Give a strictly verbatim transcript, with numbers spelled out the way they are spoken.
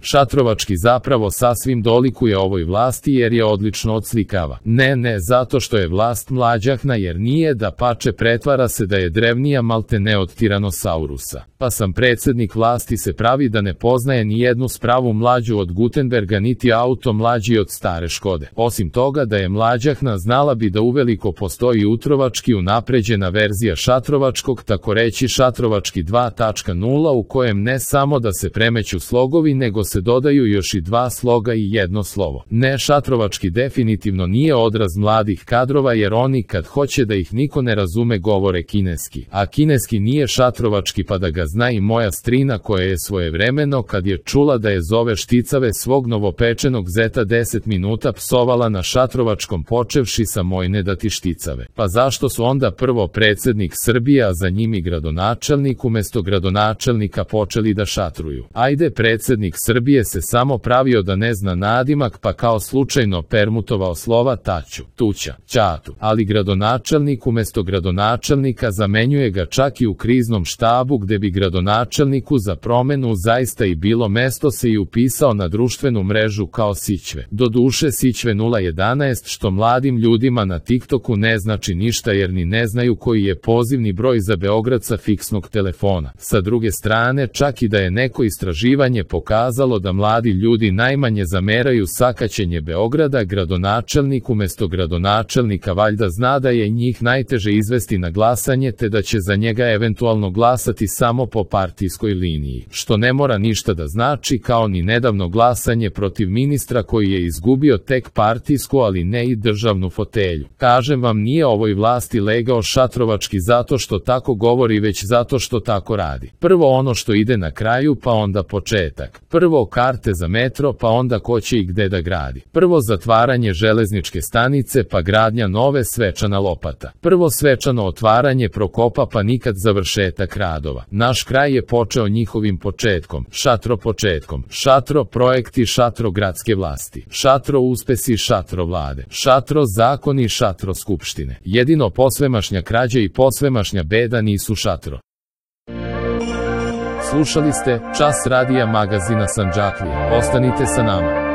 Šatrovački zapravo sasvim dolikuje ovoj vlasti jer je odlično odslikava. Ne, ne zato što je vlast mlađahna jer nije, da pače pretvara se da je drevnija maltene od tiranosaurusa. Pa sam predsjednik vlasti se pravi da ne poznaje ni jednu spravu mlađu od Gutenberga niti auto mlađi od stare Škode. Osim toga da je mlađahna znala bi da uveliko postoji utrovački unapređena verzija šatrovačkog, tako reći šatrovački dva tačka nula u kojem ne samo da se premeću slogovi nego se dodaju još i dva sloga i jedno slovo. Ne, šatrovački definitivno nije odraz mladih kadrova jer oni kad hoće da ih niko ne razume govore kineski. A kineski nije šatrovački pa da ga zna i moja strina koja je svojevremeno kad je čula da je zove šticave svog novopečenog zeta deset minuta psovala na šatrovačkom počevši sa moj ne da ti šticave. Pa zašto su onda prvo predsjednik Srbije a za njim i gradonačelnik umesto gradonačelnika počeli da šatruju? Ajde, predsjednik Srbije se samo pravio da ne zna nadimak pa kao slučajno permutovao slova taću, tuća, ćatu, ali gradonačelnik umesto gradonačelnika zamenjuje ga čak i u kriznom štabu gde bi gradonačelniku za promenu zaista i bilo mesto se i upisao na društvenu mrežu kao Sićve. Doduše Sićve nula jedanaest što mladim ljudima na TikToku ne znači ništa jer ni ne znaju koji je pozivni broj za Beograd sa fiksnog telefona. Sa druge strane, čak i da je neko istraživanje pokazalo da mladi ljudi najmanje zameraju sakaćenje Beograda, gradonačelnik umesto gradonačelnika valjda zna da je njih najteže izvesti na glasanje te da će za njega eventualno glasati samo po partijskoj liniji, što ne mora ništa da znači kao ni nedavno glasanje protiv ministra koji je izgubio tek partijsku ali ne i državnu fotelju. Kažem vam, nije ovoj vlasti legao šatrovački zato što tako govori već zato što tako radi. Prvo ono što ide na kraju pa onda početak. Prvo karte za metro pa onda ko će i gde da gradi. Prvo zatvaranje železničke stanice pa gradnja nove svečana lopata. Prvo svečano otvaranje Prokopa pa nikad završetak radova. Naš kraj je počeo njihovim početkom, šatro početkom, šatro projekti, šatro gradske vlasti, šatro uspesi, šatro vlade, šatro zakoni, šatro skupštine. Jedino posvemašnja krađa i posvemašnja beda nisu šatro. Slušali ste Čas radija magazina Sandžaklija. Ostanite sa nama.